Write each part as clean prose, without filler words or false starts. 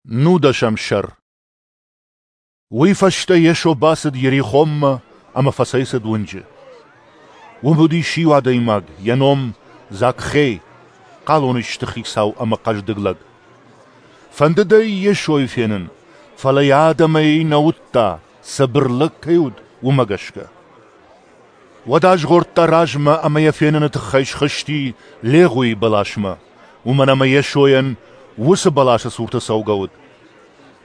Нудӕсӕм сӕр. Уый фӕстӕ Йесо бацыд Йерихонмӕ ӕмӕ фӕцӕйцыд уынджы. Уым уыдис иу адӕймаг, йӕ ном Закхей, хъалонисты хицау ӕмӕ хъӕздыг лӕг. Фӕндыд ӕй Йесойы фенын, фӕлӕ йӕ адӕмӕй нӕ уыдта, цыбыр лӕг кӕй уыд, уымӕ гӕсгӕ. Уӕд азгъордта размӕ ӕмӕ йӕ феныны тыххӕй схызти легъуийы бӕласмӕ, уымӕн ӕмӕ Йесойӕн уыцы бӕласы цурты цӕугӕ уыд.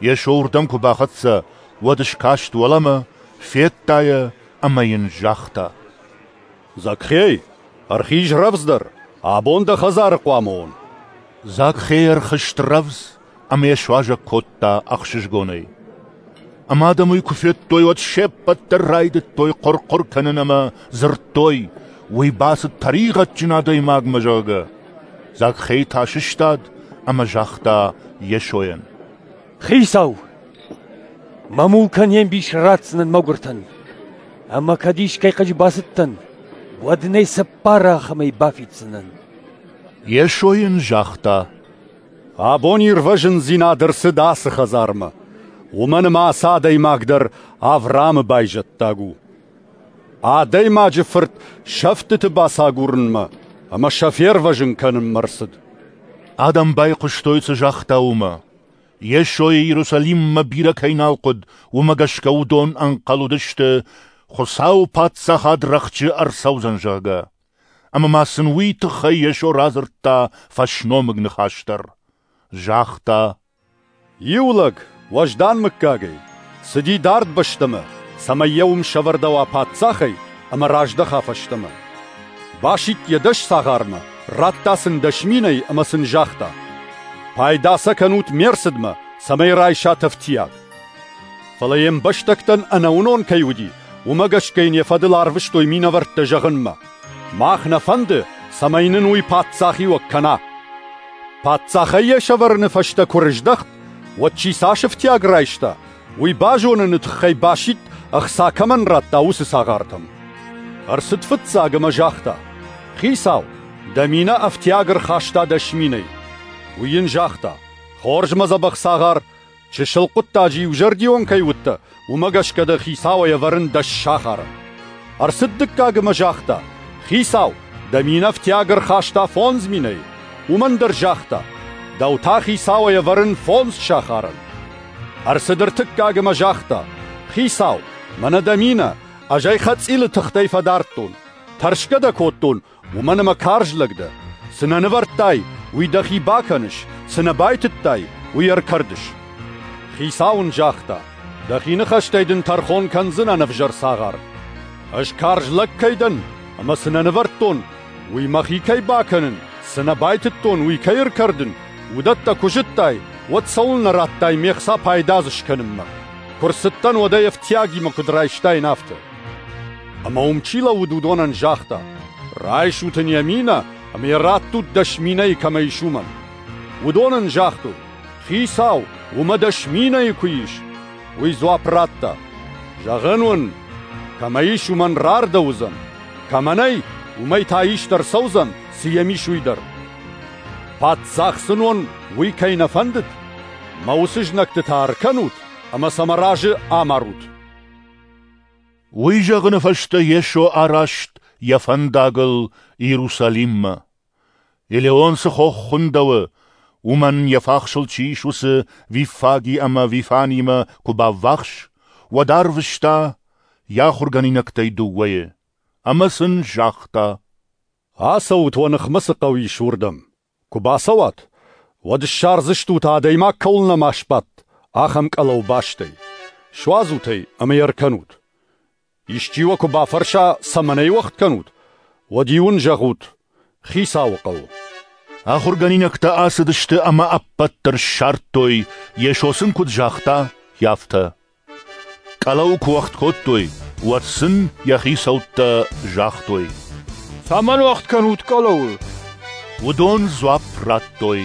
Йесо уырдӕм куы бахӕццӕ, уӕд скаст уӕлӕмӕ, федта йӕ ӕмӕ йын загъта: «Закхей, ӕрхиз рӕвдздӕр, абон дӕ хӕдзары хъуамӕ уон». Закхей ӕрхызт рӕвдз ӕмӕ йӕ суазӕг кодта ӕхсызгонӕй. Ӕмӕ адӕм уый куы федтой, уӕд се ппӕт дӕр райдыдтой хъуыр-хъуыр кӕнын ӕмӕ дзырдтой, уый бацыд тӕригъӕдджын адӕймагмӕ, зӕгъгӕ. Закхей та сыстад ӕмӕ загъта Йесойӕн: «Хицау, мӕ мулкӕн йе мбис ратдзынӕн мӕгуыртӕн, ӕмӕ кӕд искӕй хъыджы бацыдтӕн, уӕд ын ӕй цыппар ахӕмӕй бафиддзынӕн». Йесо йын загъта: «Абон ирвӕзындзинад ӕрцыд ацы хӕдзармӕ, уымӕн ӕмӕ ацы адӕймаг дӕр Авраамы байзӕддаг у. Адӕймаджы Фырт сӕфтыты бацагурынмӕ ӕмӕ сӕ фервӕзын кӕнынмӕ ӕрцыд». Адӕм байхъуыстой, цы загъта, уымӕ. Йесойы Иерусалиммӕ бирӕ кӕй нал хъуыд, уымӕ гӕсгӕ уыдон ӕнхъӕл уыдысты, Хуыцауы паддзахад рӕхджы ӕрцӕудзӕн, зӕгъгӕ. Ӕмӕ ма сын уый тыххӕй Йесо радзырдта фӕсномыг ныхас дӕр. Загъта: «Иу лӕг, уӕздан мыггагӕй, цыди дард бӕстӕмӕ, цӕмӕй йӕ уым сӕвӕрдӕуа паддзахӕй ӕмӕ раздӕха фӕстӕмӕ. Басидт йӕ 10 цагъармӕ, радта сын 10 минӕйы ӕмӕ сын загъта: «Пайда сӕ кӕнут ме рцыдмӕ, цӕмӕй райсат ӕфтиаг». Фӕлӕ йе мбӕстӕгтӕн ӕнӕуынон кӕй уыди, уымӕ гӕсгӕ йын йӕ фӕдыл арвыстой минӕвӕрттӕ зӕгъынмӕ: «Мах нӕ фӕнды, цӕмӕй нын уый паддзахиуӕг кӕна». Паддзахӕй йӕ сӕвӕрыны фӕстӕ куы рыздӕхт, уӕд чи цас ӕфтиаг райста, уый базоныны тыххӕй басидт, ӕхца кӕмӕн радта, уыцы цагъартӕм. Ӕрцыд фыццаг ӕмӕ загъта: «Хицау, дӕ минӕ ӕфтиаг ӕрхаста 10 минӕйы». Уый йын загъта: «Хорз, мӕ дзӕбӕх цагъар, чысыл хъуыддаджы иузӕрдион кӕй уыдтӕ, уымӕ гӕсгӕ дӕ хицауӕй ӕвӕрын 10 сахары». Ӕрцыд дыккаг ӕмӕ загъта: «Хицау, дӕ минӕ ӕфтиаг ӕрхаста 5 минӕйы». Уымӕн дӕр загъта: «Дӕу та хицауӕй ӕвӕрын 5 сахарӕн». Ӕрцыд ӕртыккаг ӕмӕ загъта: «Хицау, мӕнӕ дӕ минӕ, ӕз ӕй хӕцъилы тыхтӕй фӕдардтон. Тӕрсгӕ дӕ кодтон, уымӕн ӕмӕ карз лӕг дӕ. Цы нӕ нывӕрдтай, уый дӕхи бакӕныс, цы нӕ байтыдтай, уый ӕркӕрдыс». Хицау ын загъта: «Дӕхи ныхӕстӕй дын тӕрхон кӕндзынӕн, ӕвзӕр цагъар. Ӕз карз лӕг кӕй дӕн, ӕмӕ цы нӕ нывӕрдтон, уый мӕхи кӕй бакӕнын, цы нӕ байтыдтон, уый кӕй ӕркӕрдын, уыдӕттӕ куы зыдтай, уӕд цӕуылнӕ радтай ме хца пайда дзы скӕнынмӕ? Куы рцыдтӕн, уӕд ӕй ӕфтиагимӕ куыд райстаин, афтӕ». Ӕмӕ уым чи лӕууыд, уыдонӕн загъта: «Райсут ын йӕ минӕ ӕмӕ йӕ раттут 10 минӕйы кӕмӕ ис, уымӕн». Уыдон ын загътой: «Хицау, уымӕ 10 минӕйы куы ис». Уый дзуапп радта: «Зӕгъын уын, кӕмӕ ис, уымӕн рардӕуыдзӕн, кӕмӕ нӕй, уымӕй та ист ӕрцӕудзӕн, цы йӕм ис, уый дӕр. Паддзах сын уон, уый кӕй нӕ фӕндыд, мӕ уыцы знӕгты та ӕркӕнут ӕмӕ сӕ мӕ разы амарут». Уый зӕгъыны фӕстӕ Йесо араст йӕ фӕндагыл Иерусалиммӕ. Елеон цы хох хуындӕуы, уымӕн йӕ фахсыл чи ис, уыцы Виффаги ӕмӕ Вифанимӕ куы баввахс, уӕд арвыста йӕ ахуыргӕнинӕгтӕй 2 ӕмӕ сын загъта: «Ацӕут, уӕ ныхмӕ цы хъӕу ис, уырдӕм. Куы бацӕуат, уӕд ссардзыстут, адӕймаг кӕуыл нӕма сбадт, ахӕм къӕлӕу бастӕй. Суадзут ӕй ӕмӕ йӕ ӕркӕнут. Исчи уӕ куы бафӕрса, цӕмӕн ӕй уӕгъд кӕнут, уӕд-иу ын зӕгъут: Хицауы хъӕуы». Ахуыргӕнинӕгтӕ ацыдысты ӕмӕ ӕппӕт дӕр ссардтой, Йесо сын куыд загъта, афтӕ. Къӕлӕу куы уӕгъд кодтой, уӕд сын йӕ хицӕуттӕ загътой: «Цӕмӕн уӕгъд кӕнут къӕлӕуы?» Уыдон дзуапп радтой: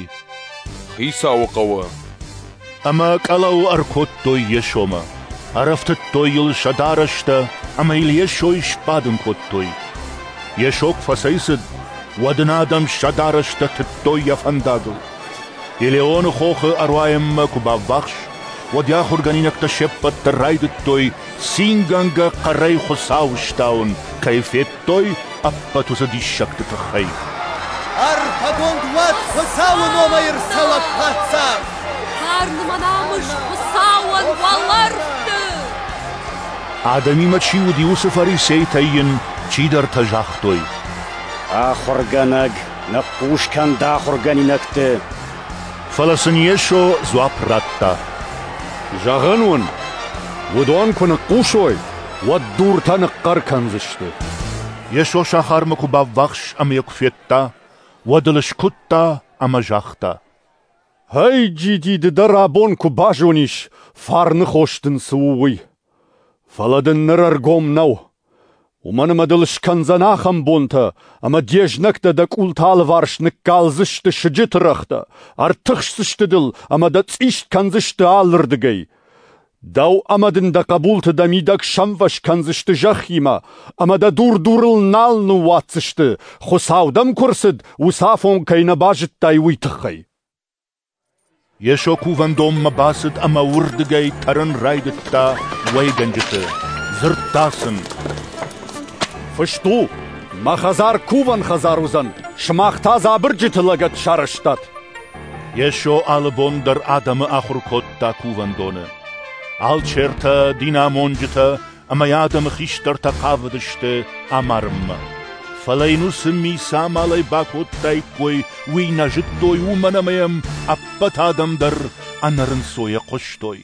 «Хицауы хъӕуы». Ӕмӕ къӕлӕуы ӕркодтой Йесомӕ. Ӕрӕфтыдтой йыл сӕ дарӕстӕ ӕмӕ йыл Йесойы сбадын кодтой. Йесо куы фӕцӕйцыд, уӕд ын адӕм сӕ дарӕстӕ тыдтой йӕ фӕндагыл. Елеоны хохы ӕруайӕнмӕ куы баввахс, уӕд йӕ ахуыргӕнинӕгтӕ се ппӕт дӕр райдыдтой цингӕнгӕ хъӕрӕй Хуыцауы стауын, кӕй федтой, ӕппӕт уыцы диссӕгты тыххӕй. Арфӕгонд уӕд Хуыцауы номӕй ӕрцӕуӕг Паддзах! Фарн ӕмӕ намыс Хуыцауӕн уӕлӕрвты! Адӕмимӕ чи уыди, уыцы фарисейтӕй йын чидӕртӕ загътой: Ахуыргӕнӕг, ныхъхъус кӕн дӕ ахуыргӕнинӕгты! Фӕлӕ сын Йесо дзуапп радта: Зӕгъын уын, уыдон куы ныхъхъусой, уӕд дуртӕ ныхъхъӕр кӕндзысты. Йесо сахармӕ куы баввахс ӕмӕ йӕ куы федта, уӕд ыл скуыдта ӕмӕ загъта: Ӕй-джиди, ды дӕр абон куы базонис, фарны хос дын цы у, уый. Фӕлӕ дын ныр ӕргом нӕу. Уымӕн ӕмӕ дыл скӕндзӕн ахӕм бонтӕ, ӕмӕ де знӕгтӕ дӕ къулты алыварс ныккалдзысты сыджыты рӕгътӕ, ӕртыхсдзысты дыл ӕмӕ дӕ цъист кӕндзысты алырдыгӕй. Дӕу ӕмӕ дын дӕ хъӕбулты дӕ мидӕг сӕмвӕз кӕндзысты зӕххимӕ, ӕмӕ дӕ дур-дурыл нал ныууадздзысты, Хуыцау дӕм куы рцыд, уыцы афон кӕй нӕ базыдтай, уый тыххӕй. Йесо кувӕндонмӕ бацыд ӕмӕ уырдыгӕй тӕрын райдыдта уӕйгӕнджыты. Дзырдта сын: Фыст у, мӕ хӕдзар кувӕн хӕдзар уыдзӕн, сымах та дзы абырджыты лӕгӕт сарӕзтат. Йесо алы бон дӕр адӕмы ахуыр кодта кувӕндоны. Алчертӕ, динамонджытӕ ӕмӕ йӕ адӕмы хистӕртӕ хъавыдысты амарынмӕ. Фӕлӕ йын уыцы ми цы амалӕй бакодтаиккой, уый нӕ зыдтой, уымӕн ӕмӕ йӕм ӕппӕт адӕм дӕр ӕнӕрынцойӕ хъуыстой.